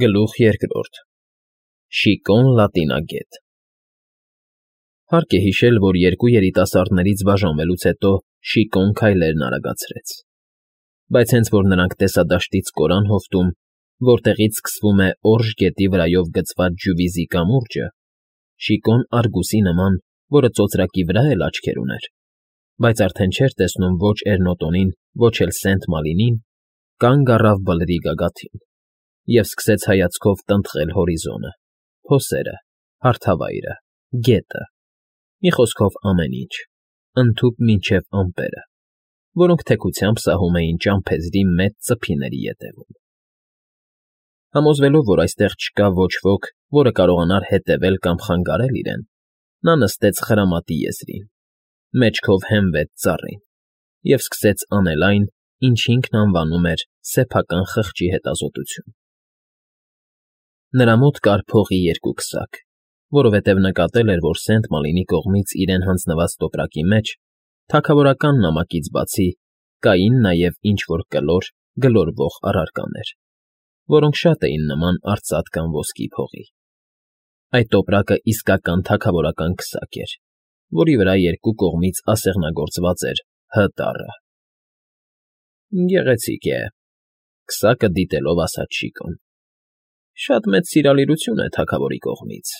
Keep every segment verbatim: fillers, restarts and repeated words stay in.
Գլուխ երկրորդ Շիկոն լատինագետ Հարկ է հիշել, որ երկու երիտասարդներից բաժանվելուց հետո Շիկոն քայլերն արագացրեց, բայց հենց որ նրանք տեսադաշտից կորան հովտում, որտեղից սկսվում է Օրժ գետի վրայով գծված ջուվիզի կամուրջը, Շիկոն Արգուսի նման, որը ծոծրակի վրա էլ աչքեր ուներ, բայց արդեն չէր տեսնում ոչ Էրնոտոնին, ոչ էլ Սենտ Մալինին, կանգ առավ բլրի գագաթին և սկսեց հայացքով տնտղել հորիզոնը, փոսերը, հարթավայրը, գետը, մի խոսքով ամեն ինչ, ընդհուպ մինչև ամպերը, որոնք թեքությամբ սահում էին ճամփեզի մեծ ծփիների ետևում։ Համոզվելով, որ այստեղ չկա ոչ ոք, որը կարողանար հետևել կամ խանգարել իրեն, նա նստեց խրամատի եզրին, մեջքով հենվեց ծառին և սկսեց անել այն, ինչ ինքն անվանում էր սեփական խղճի հետազոտություն։ Նրա մոտ կար փողի երկու քսակ, որովհետև նկատել էր, որ Սենտ Մալինի կողմից իրեն հանձնված տոպրակի մեջ, թագավորական նամակից բացի, կային նաև ինչ֊որ կլոր, գլորվող առարկաներ, որոնք շատ էին նման արծաթ կամ ոսկի փողի։ Այդ տոպրակը իսկական թագավորական քսակ էր, որի վրա երկու կողմից ասեղնագործված էր Հ տառը։ Գեղեցիկ է,֊ քսակը դիտելով ասաց Շիկոն։ Շատ մեծ սիրալիրություն է թագավորի կողմից,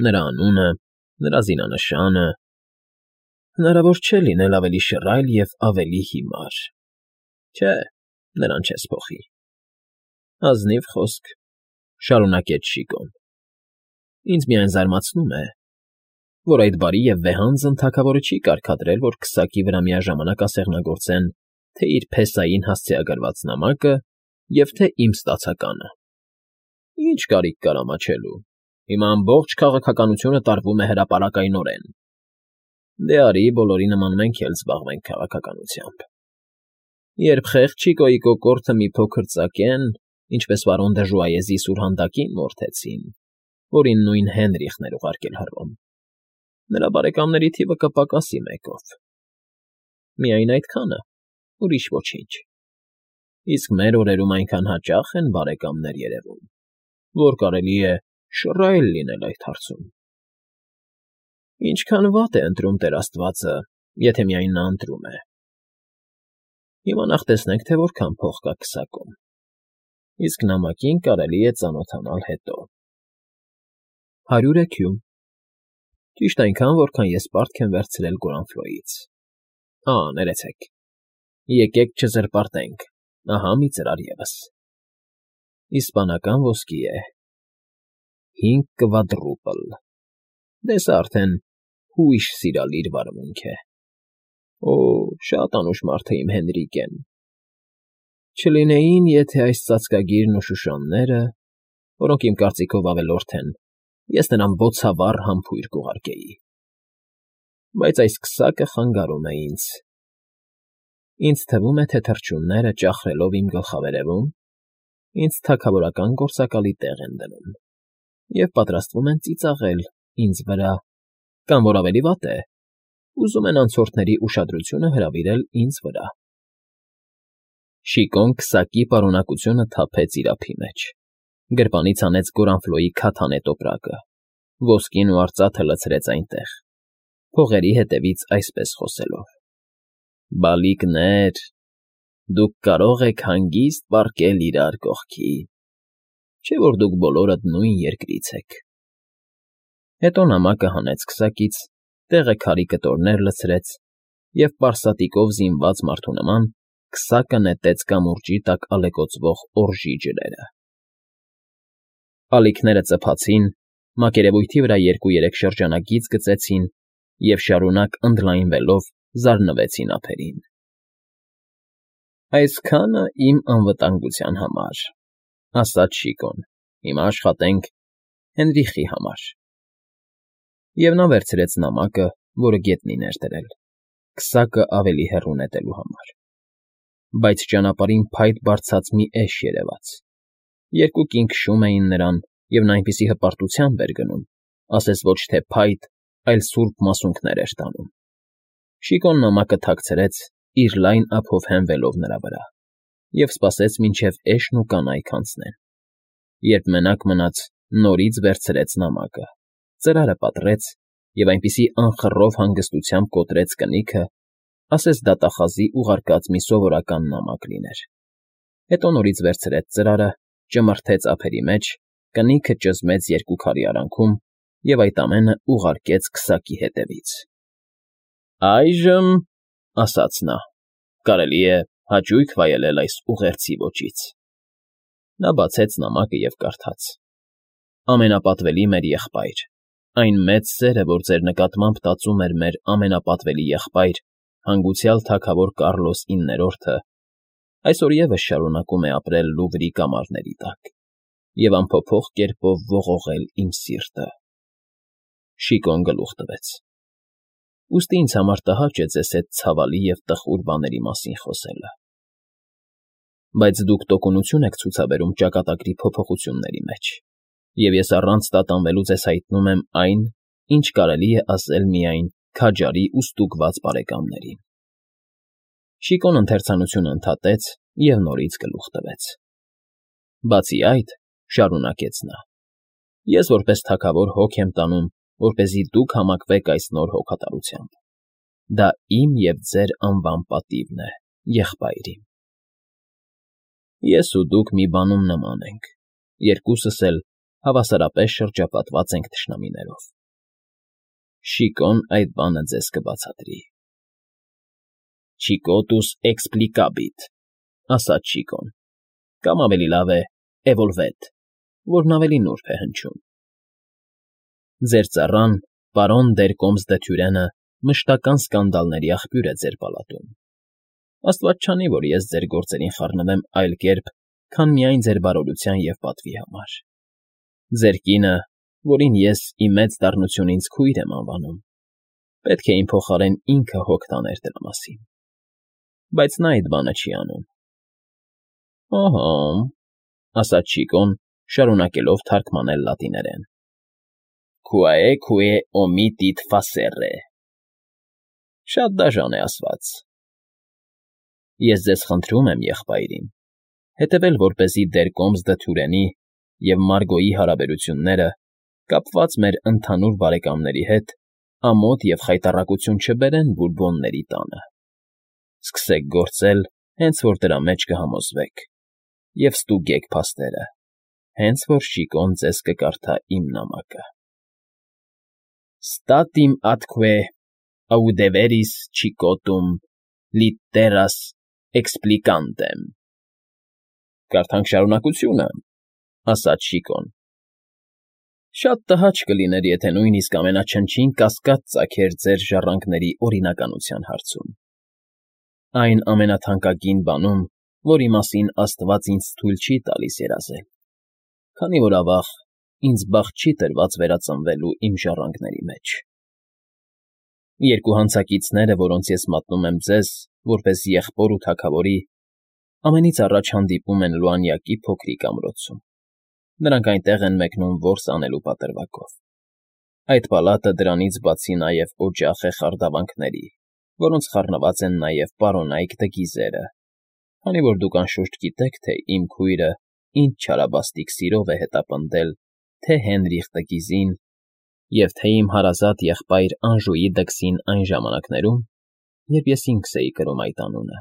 նրա անունը, նրա զինանշանը… Հնարավոր չէ լինել ավելի շռայլ և ավելի հիմար… Չէ, նրան չես փոխի… Ազնիվ խոսք,֊ շարունակեց Շիկոն։ Ինձ միայն զարմացնում է, որ այդ բարի և վեհանձն թագավորը չի կարգադրել, որ քսակի վրա միաժամանակ ասեղնագործեն թե՛ իր փեսային հասցեագրված նամակը և թե՛ իմ ստացականը… Ի՞նչ կարիք կար ամաչելու… Հիմա ամբողջ քաղաքականությունը տարվում է հրապարակայնորեն… Դե արի, բոլորի նման մենք էլ զբաղվենք քաղաքականությամբ… Երբ խեղճ Չիկոյի կոկորդը մի փոքր ծակեն, ինչպես պարոն դը Ժուայեզի սուրհանդակին մորթեցին, որին նույն Հենրիխն էր ուղարկել Հռոմ, նրա բարեկամների թիվը կպակասի մեկով… Միայն այդքանը, ուրիշ ոչինչ… Իսկ մեր օրերում այնքան հաճախ են բարեկամներ երևում, որ կարելի է շռայլ լինել այդ հարցում… Ինչքան վատ է ընտրում Տեր աստվածը, եթե միայն նա ընտրում է… Հիմա նախ տեսնենք, թե որքան փող կա քսակում, իսկ նամակին կարելի է ծանոթանալ հետո… Հարյուր էքյուն… Ճիշտ այնքան, որքան ես պարտք եմ վերցրել Գորանֆլոյից… Ա՜, ներեցեք… Եկեք չզրպարտենք, ահա մի ծրար ևս… Իսպանական ոսկի է… Հինգ կվադրուպլ… Դե սա արդեն հույժ սիրալիր վարմունք է… Օ՜, շատ անուշ մարդ է իմ Հենրիկեն… Չլինեին, եթե այս ծածկագիրն ու շուշանները, որոնք իմ կարծիքով ավելորդ են, ես նրան բոցավառ համբույր կուղարկեի… Բայց այս քսակը խանգարում է ինձ… Ինձ թվում է, թե թռչունները, ճախրելով իմ գլխավերևում, ինձ թագավորական գործակալի տեղ են դնում և պատրաստվում են ծիծաղել ինձ վրա կամ, որ ավելի վատ է, ուզում են անցորդների ուշադրությունը հրավիրել ինձ վրա… Շիկոն քսակի պարունակությունը թափեց իր ափի մեջ, գրպանից հանեց Գորանֆլոյի քաթանե տոպրակը, ոսկին ու արծաթը լցրեց այնտեղ, փողերի հետևից այսպես խոսելով. Բալիկներ, դուք կարող եք հանգիստ պառկել իրար կողքի, չէ՞ որ դուք բոլորդ նույն երկրից եք… Հետո նամակը հանեց քսակից, տեղը քարի կտորներ լցրեց և պարսատիկով զինված մարդու նման քսակը նետեց կամուրջի տակ ալեկոծվող օրժի ջրերը… Ալիքները ծփացին, մակերևույթի վրա երկու֊երեք շրջանագիծ գծեցին և շարունակ ընդլայնվելով զարնվեցին ափերին… Այսքանը իմ անվտանգության համար, ֊ ասաց Շիկոն, ֊ հիմա աշխատենք Հենրիխի համար… Եվ նա վերցրեց նամակը, որը գետնին էր դրել, քսակը ավելի հեռու նետելու համար… Բայց ճանապարհին փայտ բարձած մի էշ երևաց… Երկու կին քշում էին նրան և նա այնպիսի հպարտությամբ էր գնում, ասես ոչ թե փայտ, այլ սուրբ մասունքներ էր տանում… Շիկոն նամակը թաքցրեց, իր լայն ափով հենվելով նրա վրա, և սպասեց, մինչև էշն ու կանայք անցնեն… Երբ մենակ մնաց, նորից վերցրեց նամակը, ծրարը պատռեց և այնպիսի անխռով հանգստությամբ կոտրեց կնիքը, ասես դատախազի ուղարկած մի սովորական նամակ լիներ. հետո նորից վերցրեց ծրարը, ճմրթեց ափերի մեջ, կնիքը ճզմեց երկու քարի արանքում և այդ ամենը ուղարկեց քսակի հետևից։ ֊ Այժմ, ֊ ասաց նա, ֊ կարելի է հաճույք վայելել այս ուղերձի ոճից։ Նա բացեց նամակը և կարդաց. «Ամենապատվելի մեր եղբայր, այն մեծ սերը, որ ձեր նկատմամբ տածում էր մեր ամենապատվելի եղբայր, հանգուցյալ թագավոր Կառլոս իններորդը, այսօր ևս շարունակում է ապրել Լուվրի կամարների տակ և անփոփոխ կերպով ողողել իմ սիրտը»։ Շիկոն գլուխ տվեց. «Ուստի ինձ համար տհաճ է ձեզ հետ ցավալի և տխուր բաների մասին խոսելը, բայց դուք տոկունություն եք ցուցաբերում ճակատագրի փոփոխությունների մեջ, և ես առանց տատանվելու ձեզ հայտնում եմ այն, ինչ կարելի է ասել միայն քաջարի ու ստուգված բարեկամներին»։ Շիկոն ընթերցանությունը ընդհատեց և նորից գլուխ տվեց. «Բացի այդ, ֊ շարունակեց նա, ֊ ես որպես թագավոր հոգ եմ տանում, որպեսզի դուք համակվեք այս նոր հոգատարությամբ. դա իմ և ձեր անվան պատիվն է, եղբայր իմ։ Ես ու դուք մի բանում նման ենք, երկուսս էլ հավասարապես շրջապատված ենք թշնամիներով։ Շիկոն այդ բանը ձեզ կբացատրի»։ Չիկոտուս էքսպլիկաբիտ, ֊ ասաց Շիկոն, կամ ավելի լավ է էվոլվետ, որն ավելի նուրբ է հնչում։ Ձեր ծառան, պարոն դեր Կոմս դը Թյուրենը մշտական սկանդալների աղբյուր է ձեր պալատում։ Աստված չանի, որ ես ձեր գործերին խառնվեմ այլ կերպ, քան միայն ձեր բարօրության և պատվի համար։ Ձեր կինը, որին ես ի մեծ դառնությունից քույր եմ անվանում, պետք է իմ փոխարեն ինքը հոգ տաներ դրա մասին, բայց նա այդ բանը չի անում։ ֊ Ըհը՛, ֊ ասաց Շիկոն, շարունակելով թարգմանել լատիներեն. Quae que omitit facere։ Շատ դաժան է ասված։ Ես ձեզ խնդրում եմ, եղբայր իմ, հետևել որպեսզի դեր Կոմս դը Թյուրենի և Մարգոյի հարաբերությունները, կապված մեր ընդհանուր բարեկամների հետ, ամոթ և խայտառակություն չբերեն Բուրբոնների տանը։ Սկսեք գործել, հենց որ դրա մեջ կհամոզվեք, և ստուգեք փաստերը, հենց որ Շիկոն ձեզ կկարդա իմ նամակը։ Statim atque audeveris Chicotum litteras explicantem։ Կարդանք շարունակությունը, ֊ ասաց Շիկոն։ Շատ տհաճ կլիներ, եթե նույնիսկ ամենաչնչին կասկած ծագեր ձեր ժառանգների օրինականության հարցում։ Այն ամենաթանկագին բանում, որի մասին աստված ինձ թույլ չի տալիս երազել, քանի որ, ավաղ, ինձ բախտ չի տրված վերածնվելու իմ ժառանգների մեջ։ Երկու հանցակիցները, որոնց ես մատնում եմ ձեզ, որպես եղբոր ու թագավորի, ամենից առաջ հանդիպում են Լուանյակի փոքրիկ ամրոցում։ Նրանք այնտեղ են մեկնում որս անելու պատրվակով։ Այդ պալատը դրանից բացի նաև օջախ է խարդավանքների, որոնց խառնված են նաև պարոնայք դգիզերը, քանի որ դուք անշուշտ գիտեք, թե իմ քույրը ինչ չարաբաստիկ սիրով է հետապնդել թե՛ Հենրիխ տգիզին և թե՛ իմ հարազատ եղբայր Անժուի դքսին այն ժամանակներում, երբ ես ինքս էի կրում այդ անունը,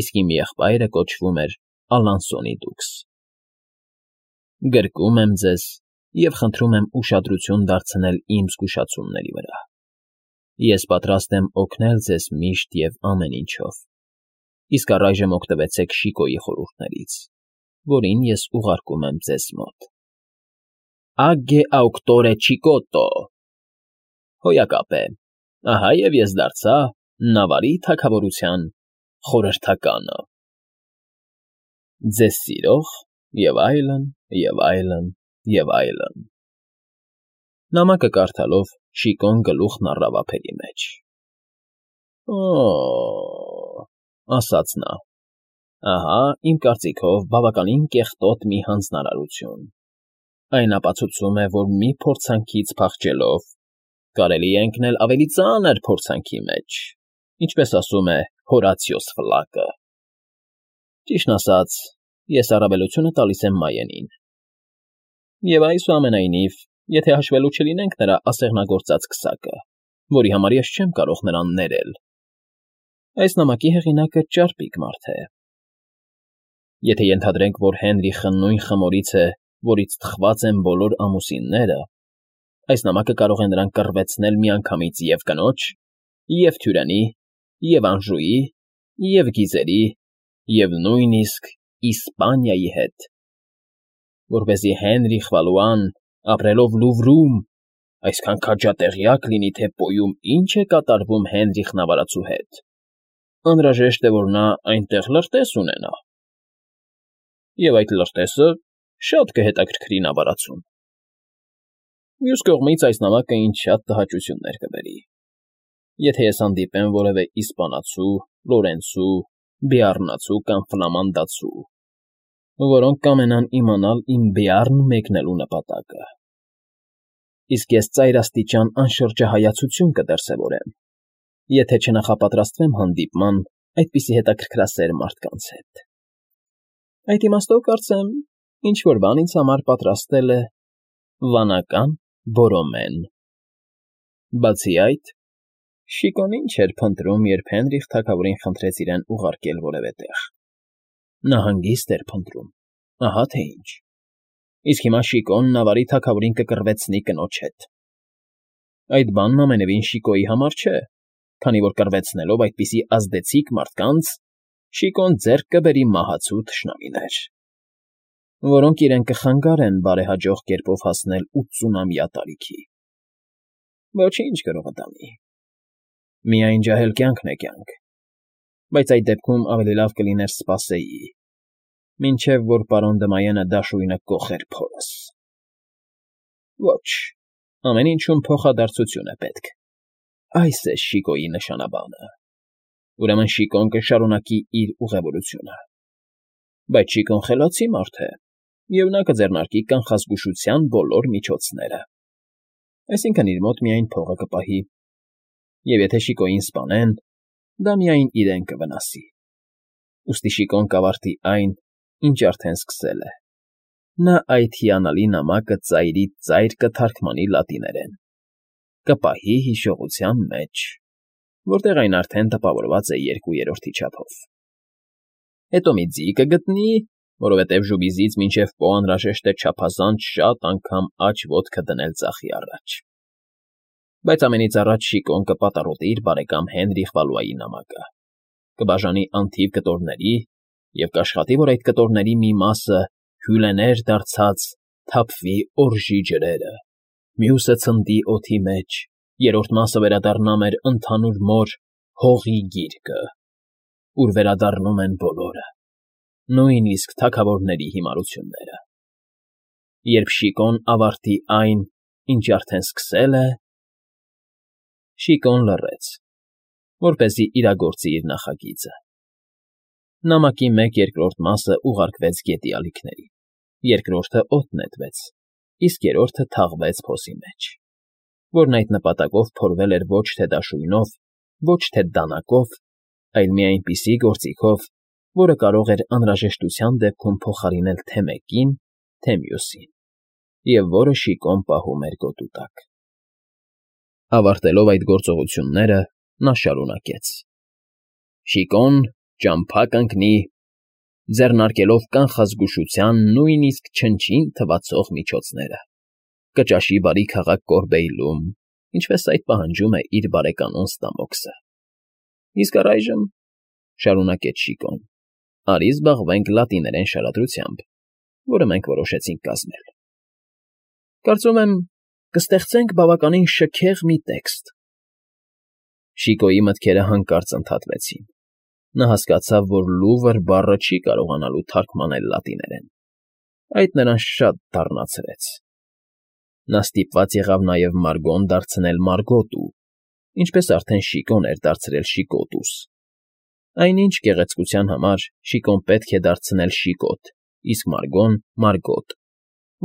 իսկ իմ եղբայրը կոչվում էր Ալանսոնի դուքս։ Գրկում եմ ձեզ և խնդրում եմ ուշադրություն դարձնել իմ զգուշացումների վրա։ Ես պատրաստ եմ օգնել ձեզ միշտ և ամեն ինչով, իսկ առայժմ օգտվեցեք Շիկոյի խորհուրդներից, որին ես ուղարկում եմ ձեզ մոտ։ Agge auctore Chicotto։ Հոյակապ է, ահա և ես դարձա Նավարի թագավորության խորհրդականը։ Ձեզ սիրող և այլն, և այլն, և այլն։ Նամակը կարդալով Շիկոն գլուխն առավ ափերի մեջ։ Օ՜օ, ֊ ասաց նա, ֊ ահա, իմ կարծիքով, բավականին կեղտոտ մի հանձնարարություն։ Այն ապացուցում է, որ մի փորձանքից փախչելով կարելի է ընկնել ավելի ծանր փորձանքի մեջ, ինչպես ասում է Հորացիոս Ֆլակը։ Ճիշտն ասած, ես առավելությունը տալիս եմ Մայենին, Եվ այսուամենայնիվ, եթե հաշվելու չլինենք նրա ասեղնագործած քսակը, որի համար ես չեմ կարող նրան ներել, այս նամակի հեղինակը ճարպիկ մարդ է։ Եթե ենթադրենք, որ Հենրիխը նույն խմորից է, որից թխված են բոլոր ամուսինները, այս նամակը կարող է նրան կռվեցնել միանգամից և կնոջ, և թյուրանի, և Անժուի, և գիզերի, և նույնիսկ Իսպանիայի հետ, որպեսզի Հենրիխ Վալուան, ապրելով Լուվրում, այսքան քաջատեղյակ լինի, թե Պոյում ինչ է կատարվում Հենրիխ նավարածու հետ, անհրաժեշտ է, որ նա այնտեղ լրտես ունենա, և այդ լրտեսը շատ կհետաքրքրի նավարածուն։ Մյուս կողմից այս նամակը ինձ շատ տհաճություններ կբերի, եթե ես հանդիպեմ որևէ իսպանացու, լորենցու, բեառնացու կամ ֆլամանդացու, որոնք կամենան իմանալ իմ Բեառն մեկնելու նպատակը, իսկ ես ծայրաստիճան անշրջահայացություն կդրսևորեմ, եթե չնախապատրաստվեմ հանդիպման այդպիսի հետաքրքրասեր մարդկանց հետ։ Այդ իմաստով, կարծեմ, ինչ֊որ բան ինձ համար պատրաստել է վանական Բորոմեն։ Բացի այդ, Շիկոն ինչ էր փնտրում, երբ Հենրիխ թագավորին խնդրեց իրեն ուղարկել որևէ տեղ։ Նա հանգիստ էր փնտրում, ահա թե ինչ։ Իսկ հիմա Շիկոն նավարի թագավորին կկռվեցնի կնոջ հետ։ Այդ բանն ամենևին Շիկոյի համար չէ, քանի որ կռվեցնելով այդպիսի ազդեցիկ մարդկանց, Շիկոն ձեռք կբերի մահացու թշնամիներ, որոնք իրեն կխանգարեն բարեհաջող կերպով հասնել ութսունամյա տարիքի։ Ոչինչ գրողը տանի։ Միայն ջահել կյանքն է կյանք, բայց այդ դեպքում ավելի լավ կլիներ սպասեի, մինչև որ պարոն Դմայենը դաշույնը կոխեր փորս։ Ոչ, ամեն ինչում փոխադարձություն է պետք։ Այս է Շիկոյի նշանաբանը։ Ուրեմն Շիկոն կշարունակի իր ուղևորությունը։ Բայց Շիկոն խելացի մարդ է, և նա կձեռնարկի կանխազգուշության բոլոր միջոցները։ Այսինքն իր մոտ միայն փողը կպահի, և եթե Շիկոյին սպանեն, դա միայն իրեն կվնասի։ Ուստի Շիկոն կավարտի այն, ինչ արդեն սկսել է։ Նա այդ հիանալի նամակը ծայրից ծայր կթարգմանի լատիներեն, կպահի հիշողության մեջ, որտեղ այն արդեն տպավորված է երկու երրորդի չափով։ Հետո մի ձի կգտնի, որովհետև ժուբիզից մինչև Պո անհրաժեշտ է չափազանց շատ անգամ աջ ոտքը դնել ձախի առաջ։ Բայց ամենից առաջ Շիկոն կպատառոտի իր բարեկամ Հենրիխ Վալուայի նամակը, կբաժանի անթիվ կտորների և կաշխատի, որ այդ կտորների մի մասը հյուլեներ դարձած թափվի օրժի ջրերը, մյուսը ցնդի օդի մեջ, երրորդ մասը վերադառնա մեր ընդհանուր մոր Հողի գիրկը, ուր վերադառնում են բոլորը, նույնիսկ թագավորների հիմարությունները։ Երբ Շիկոն ավարտի այն, ինչ արդեն սկսել է… Շիկոն լռեց, որպեսզի իրագործի իր նախագիծը։ Նամակի մեկ երկրորդ մասը ուղարկվեց գետի ալիքներին, երկրորդը օդ նետվեց, իսկ երրորդը թաղվեց փոսի մեջ, որն այդ նպատակով փորվել էր ոչ թե դաշույնով, ոչ թե դանակով, այլ մի այնպիսի գործիքով, որը կարող էր անհրաժեշտության դեպքում փոխարինել թե մեկին, թե մյուսին, և որը Շիկոն պահում էր գոտու տակ։ Ավարտելով այդ գործողությունները, նա շարունակեց. Շիկոն ճամփա կընկնի, ձեռնարկելով կանխազգուշության նույնիսկ չնչին թվացող միջոցները, կճաշի բարի քաղաք Կորբեյլում, ինչպես այդ պահանջում է իր բարեկանոն Ստամոքսը։ Իսկ առայժմ, շարունակեց Շիկոն, արի զբաղվենք լատիներեն շարադրությամբ, որը մենք որոշեցինք կազմել։ Կարծում եմ, կստեղծենք բավականին շքեղ մի տեքստ։ Շիկոյի մտքերը հանկարծ ընդհատվեցին։ Նա հասկացավ, որ Լուվր բառը չի կարողանալու թարգմանել լատիներեն։ Այդ նրան շատ դառնացրեց։ Նա ստիպված եղավ նաև Մարգոն դարձնել Մարգոտու, ինչպես արդեն Շիկոն էր դարձրել Շիկոտուս։ Այնինչ գեղեցկության համար Շիկոն պետք է դարձնել Շիկոտ, իսկ Մարգոն՝ Մարգոտ,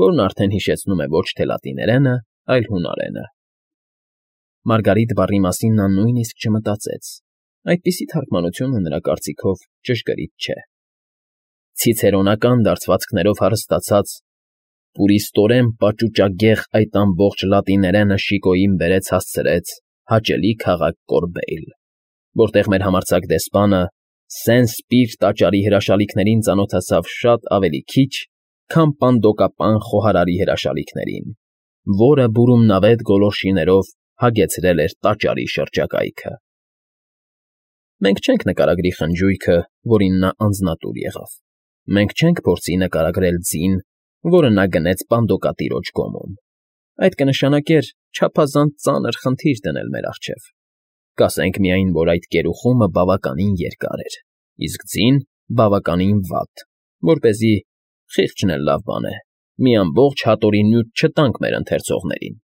որն արդեն հիշեցնում է ոչ թե լատիներենը, այլ հունարենը։ Մարգարիտ բառի մասին նա նույնիսկ չմտածեց, այդպիսի թարգմանությունը նրա կարծիքով ճշգրիտ չէ։ Ցիցերոնական դարձվածքներով հարստացած, Պուրիստորեն պաճուճագեղ այդ ամբողջ լատիներենը Շիկոյին բերեց հասցրեց հաճելի քաղաք Կորբեյլ, որտեղ մեր համարձակ դեսպանը Սեն֊Սպիր տաճարի հրաշալիքներին ծանոթացավ շատ ավելի քիչ, քան պանդոկապան խոհարարի հրաշալիքներին, որը բուրումնավետ գոլորշիներով հագեցրել էր տաճարի շրջակայքը։ Մենք չենք նկարագրի խնջույքը, որին նա անձնատուր եղավ, մենք չենք փորձի նկարագրել ձին, որը նա գնեց պանդոկատիրոջ գոմում, այդ կնշանակեր չափազանց ծանր խնդիր դնել մեր առջև, կասենք միայն, որ այդ կերուխումը բավականին երկար էր, իսկ ձին բավականին վատ, որպեսզի, խիղճն էլ լավ բան է, մի ամբողջ հատորի նյութ չտանք մեր ընթերցողներին։